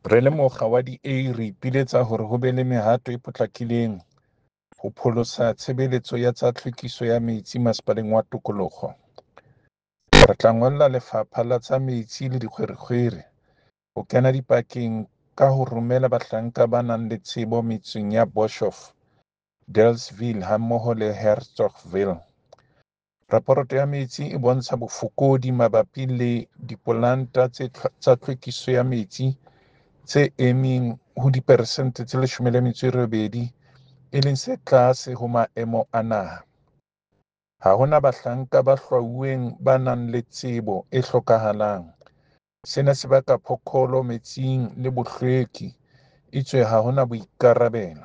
Re le mokga wa DA re ipiletsa hore ho be le mehato e potlakileng ho pholosa tshebeletso ya tsa tlhwekiso ya metsi Masepaleng wa Tokoloho. Re tla ngolla Lefapha la tsa Metsi le Dikgwerekgwere ho kena dipakeng ka ho romela bahlanka ba nang le tsebo metseng ya Boshof, Dealesville hammoho le Hertzogville. Raporoto ya metsi e bontsha bofokodi mabapi le dipolanta tsa tlhwekiso ya metsi tse emeng ho diperesente tse 18, e leng se tlase ho maemo a naha. Ha ho na bahlanka ba hlwauweng ba nang le tsebo e hlokahalang. Sena se baka phokolo metsing le bohlweki, etswe ha ho na boikarabelo.